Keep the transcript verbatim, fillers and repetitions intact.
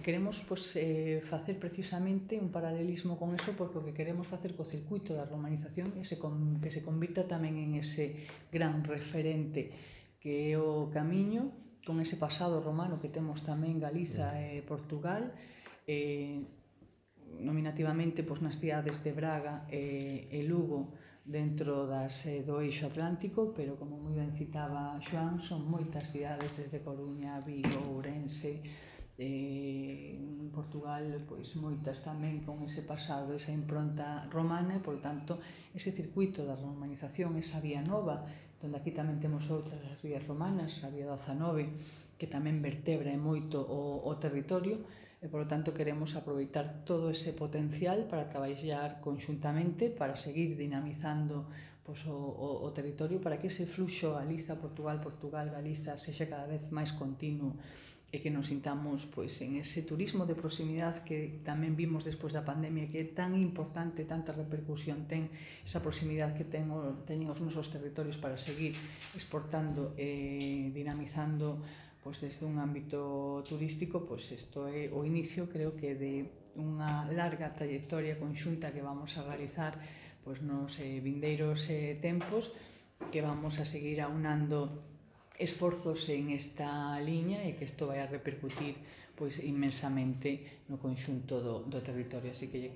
queremos pois, eh, facer precisamente un paralelismo con eso, porque o que queremos facer co circuito da romanización é se con, que se convirta tamén en ese gran referente que é o camiño, con ese pasado romano que temos tamén Galiza e Portugal, eh, nominativamente pois, nas cidades de Braga e, e Lugo, dentro das, eh, do eixo atlántico, pero como moi ben citaba Xoán, son moitas cidades desde Coruña, Vigo, Ourense, eh, en Portugal, pois moitas tamén con ese pasado, esa impronta romana, e, por tanto, ese circuito da romanización, esa vía nova, donde aquí tamén temos outras as vías romanas, a vía dezanove, que tamén vertebra moito o, o territorio, e, por tanto, queremos aproveitar todo ese potencial para traballar conxuntamente, para seguir dinamizando pois, o, o, o territorio, para que ese fluxo Galiza-Portugal, Portugal-Galiza sexa cada vez máis continuo e que nos sintamos pois, en ese turismo de proximidade que tamén vimos despois da pandemia, que é tan importante, tanta repercusión ten esa proximidade que ten, teñen os nosos territorios para seguir exportando e dinamizando pois, desde un ámbito turístico. Pois isto é o inicio, creo que, de unha larga trayectoria conxunta que vamos a realizar pois, nos eh, vindeiros eh, tempos, que vamos a seguir aunando esforzos en esta liña e que isto vai a repercutir pois, inmensamente no conxunto do, do territorio. Así que